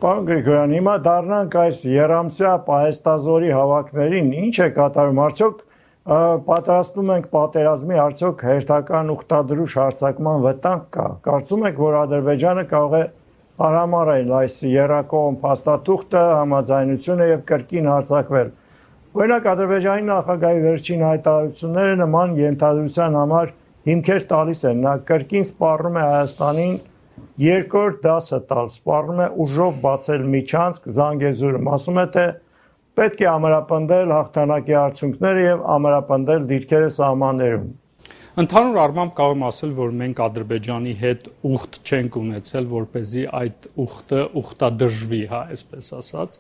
Պարոն Գրիգորյան, հիմա դառնանք այս երամսյա պահեստազորի հավաքներին, ինչ է կատարում, արդյոք պատրաստում ենք պատերազմի, արդյոք հերթական ուխտադրուժ հարձակման վտանգ կա։ Կարծում եք, որ Ադրբեջանը կարող է արհամարել այս եռակողմ փաստաթուղթը, համաձայնությունը եւ կրկին հարձակվել։ Օրինակ Ադրբեջանի նախագահի վերջին հայտարարությունները նման ենթադրության համար հիմքեր տալիս են, նա կրկին սպառնում է Հայաստանին երկրորդ դասը տալ, սպառնում է ուժով բացել միջանցք Զանգեզուրում, ասում է, թե պետք է ամրապնդել հաղթանակի արդյունքները եւ ամրապնդել դիրքերը սահմաններում։ Ընդհանուր առմամբ կարող եմ ասել, որ մենք Ադրբեջանի հետ ուխտ չենք ունեցել, որպեսզի այդ ուխտը ուխտադրժվի, այսպես ասած։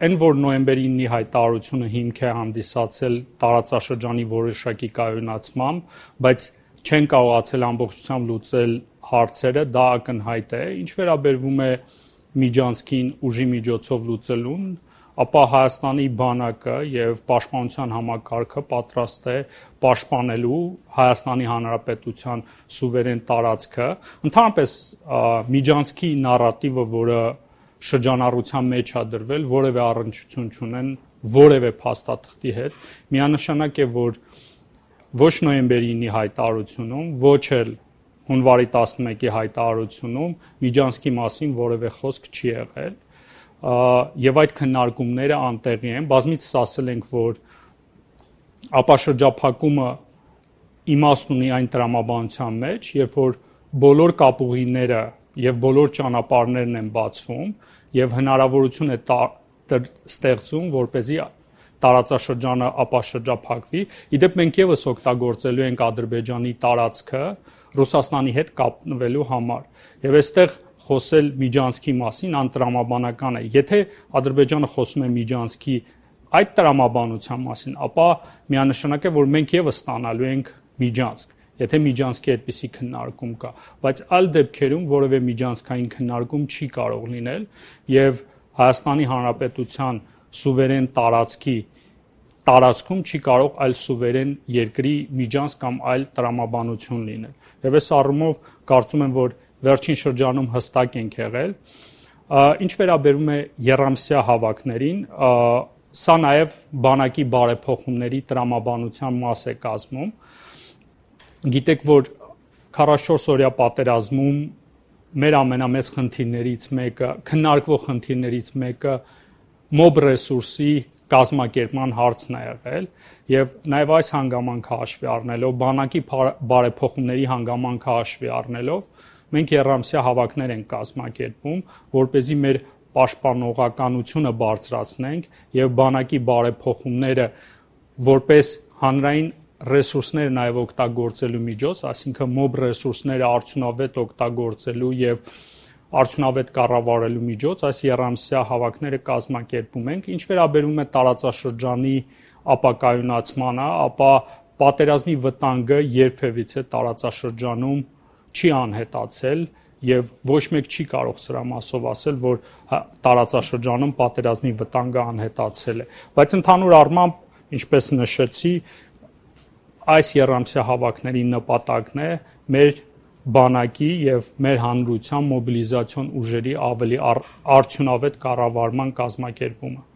Այն որ նոյեմբերի 9-ի հայտարարությունը հիմք է հանդիսացել տարածաշրջանի որոշակի կայունացմամբ, բայց չեն կարողացել ամբողջությամբ լուծել հարցերը, դա ակնհայտ է։ Ինչ վերաբերվում է Միջանցքին ուժի միջոցով լուծելուն, ապա Հայաստանի բանակը եւ պաշտպանության համակարգը պատրաստ է պաշտպանելու Հայաստանի Հանրապետության սուվերեն տարածքը։ Ընդհանրապես Միջանցքի նարատիվը, որը շրջանառության մեջ է դրվել, որևէ առնչություն չունեն որևէ փաստաթղթի հետ, միանշանակ է, որ ոչ նոյեմբերի 9-ի հայտարարությունում, ոչ էլ հունվարի 11-ի հայտարարությունում Միջանցքի մասին որևէ խոսք չի եղել, եւ այդ քննարկումները անտեղի են։ Բազմիցս ասել ենք, որ ապաշրջափակումը իմաստ ունի այն տրամաբանության մեջ, երբ որ բոլոր կապուղիները եւ բոլոր ճանապարհներն են բացվում եւ հնարավորություն է ստեղծում, որպեսզի տարածաշրջանը ապաշրջափակվի։ Իդեպ մենք եւս օգտագործելու ենք Ադրբեջանի տարածքը Ռուսաստանի հետ կապնվելու համար։ Եվ այստեղ խոսել Միջանցքի մասին անտրամաբանական է։ Եթե Ադրբեջանը խոսում է Միջանցքի այդ տրամաբանության մասին, ապա միանշանակ է, որ մենք եւս ստանալու ենք Միջանցք, եթե Միջանցքի այդպիսի քննարկում կա, բայց այլ դեպքերում որևէ միջանցքային քննարկում չի կարող լինել եւ Հայաստանի Հանրապետության սուվերեն տարածքում չի կարող այլ սուվերեն երկրի միջանցք կամ այլ տրամաբանություն լինել։ Եվ այս առումով կարծում եմ, որ վերջին շրջանում հստակ ենք եղել։ Ինչ վերաբերում է եռամսյա հավաքներին, սա նաև բանակի բարեփոխումների տրամաբանության մաս է կազմում։ Գիտեք, որ 44-օրյա պատերազմում մեր ամենամեծ խնդիրներից մեկը, քննարկվող խնդիրներից մեկը մոբ ռեսուրսի կազմակերպման հարցն է եղել եւ նաեւ այս հանգամանքը հաշվի առնելով, բանակի բարեփոխումների հանգամանքը հաշվի առնելով, մենք եռամսյա հավաքներ ենք կազմակերպում, որպեսզի մեր պաշտպանողականությունը բարձրացնենք եւ բանակի բարեփոխումները որպես հանրային ռեսուրսները նաև օգտագործելու միջոց, այսինքն մոբ ռեսուրսները արդյունավետ օգտագործելու եւ արդյունավետ կառավարելու միջոց, այս եռամսյա հավաքները կազմակերպում ենք։ Ինչ վերաբերում է տարածաշրջանի ապակայունացմանը, ապա պատերազմի վտանգը երբևիցե տարածաշրջանում չի անհետացել եւ ոչ մեկ չի կարող սրա մասով ասել, որ տարածաշրջանում պատերազմի վտանգը անհետացել է։ Բայց ընդհանուր առմամբ, ինչպես նշեցի, այս եռամսյա հավաքների նպատակն է մեր բանակի եւ մեր հանրության մոբիլիզացիոն ուժերի ավելի արդյունավետ կառավարման կազմակերպումը։